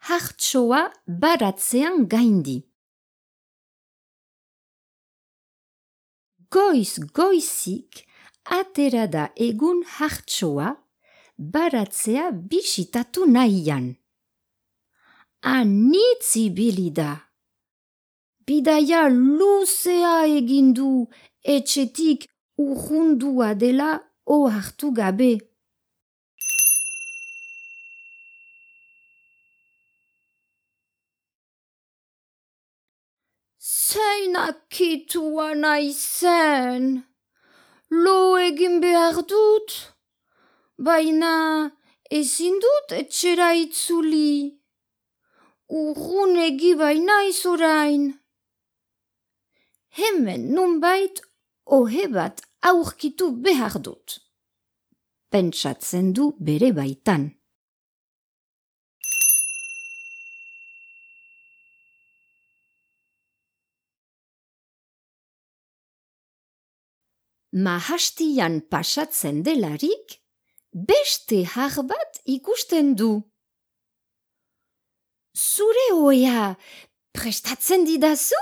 hartsoa baratzean gaindi. Goiz-goizik atera da egun hartsoa baratzea bisitatu nahian. Anitz ibili da. Bidaia luzea egindu etxetik urrundua dela ohartu gabe. Zein akitua naizen, lo egin behar dut, baina ezin dut etxera itzuli. Urrun egi bainaiz orain. Hemen nunbait ohe bat aurkitu behar dut. Pentsatzen du bere baitan. Mahastian pasatzen delarik, beste har bat ikusten du. Zure ohea prestatzen didazu?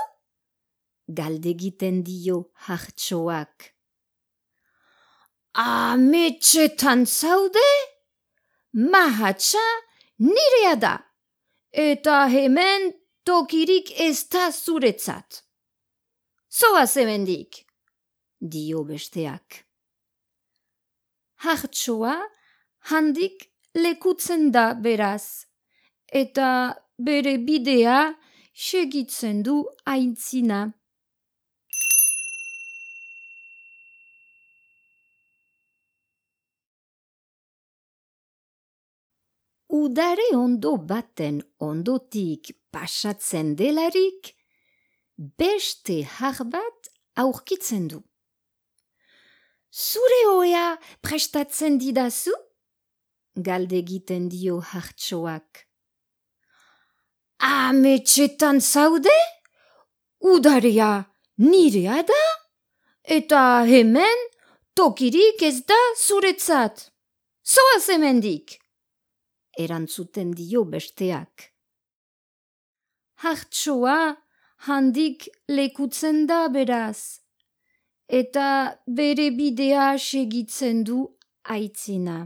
Galdegiten dio hartsoak. Ametxetan zaude? Mahatsa nirea da, eta hemen tokirik ez da zuretzat. Zoaz hemendik, dio besteak. Hartsoa handik lekutzen da beraz, eta bere bidea segitzen du aintzina. Udare ondo baten ondotik pasatzen delarik, beste har bat aurkitzen du. Zure ohea prestatzen didazu? Galdegiten dio hartsoak. Ametxetan zaude? Udarea nirea da? Eta hemen tokirik ez da zuretzat. Zoaz hemendik, erantzuten dio besteak. Hartsoa handik lekutzen da beraz, eta bere bidea segitzen du aitzina.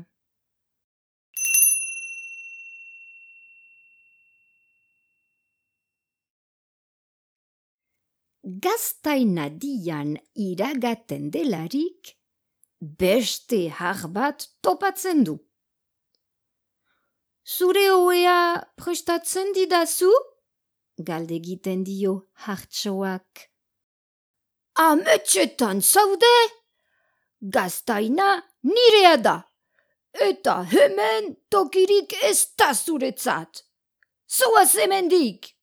Gaztainadian iragaten delarik, beste har bat topatzen du. Zure ohea prestatzen didazu? Galdegiten dio hartsoak. Ametxetan zaude? Gaztaina nirea da, eta hemen tokirik ez da zuretzat. Zoaz hemendik,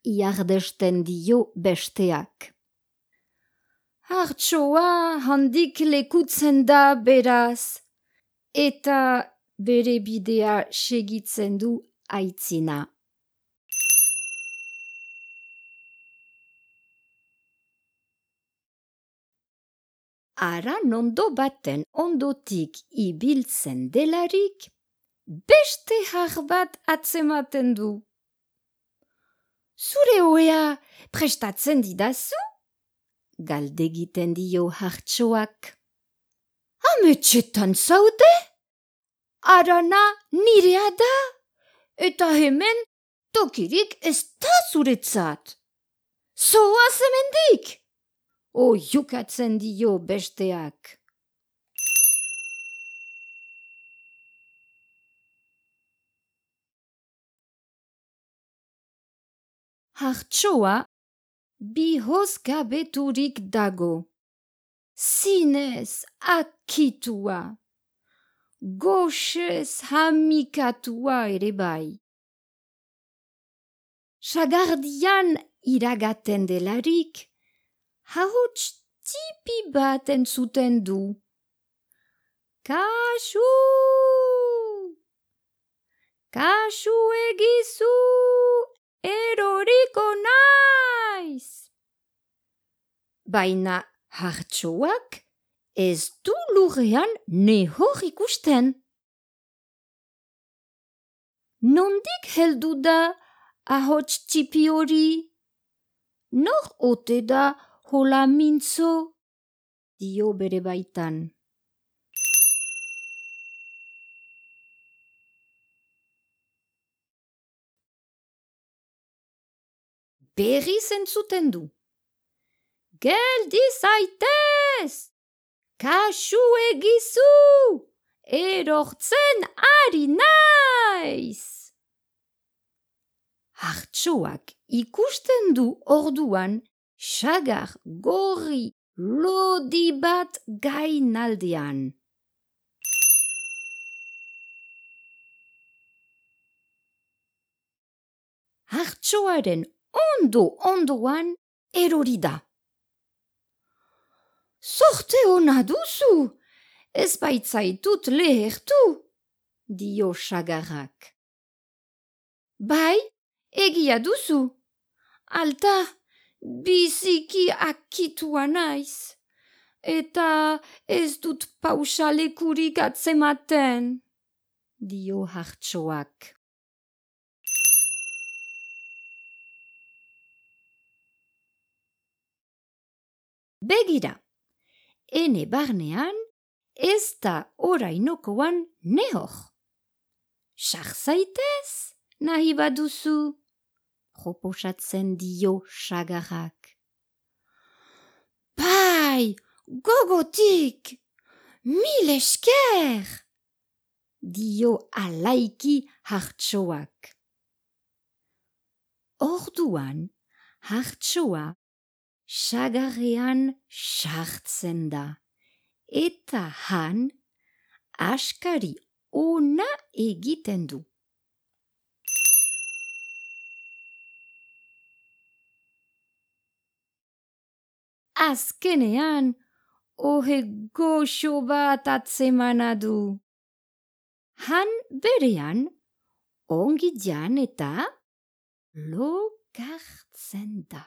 iardesten dio besteak. Hartsoa handik lekutzen da beraz, eta bere bidea segitzen du aitzina. Aran ondo baten ondotik ibiltzen delarik, beste har bat atzematen du. Zure ohea prestatzen didazu? Galdegiten dio hartsoak. Ametxetan zaude? Arana nirea da, eta hemen tokirik ez da zuretzat. Zoaz hemendik, oihukatzen dio besteak. Hartsoa bihozgabeturik dago, zinez akitua, goxez hamikatua ere bai. Sagardian iragaten delarik, hauts tipi bat entzuten du. Kasu! Kasu egizu! Eroriko naiz! Baina hartsoak ez du lurrean nehor ikusten. Nondik heldu da ahots txipi hori? Nor ote da hola mintzo? Dio bere baitan. Berriz entzuten du. Geldi zaitez! Kasu egizu! Erortzen ari naiz! Hartxoak ikusten du orduan sagar gorri lodi bat gainaldean. Hartxoaren ondoan erori da. Zorte ona duzu! Ez baitzaitut lehertu, dio sagarrak. Bai, egia duzu. Alta, biziki akitua naiz. Eta ez dut pausalekurik atzematen, dio hartxoak. Begira, ene barnean ez da orainokoan nehor. Sar zaitez, nahi baduzu, proposatzen dio sagarrak. Bai, gogotik, mil esker, dio alaiki hartxoak. Orduan, hartxoa sagarrean sartzen da. Eta han, askari ona egiten du. Azkenean, ohe goxo bat atzemana du. Han berean, ongi jan eta lokartzen da.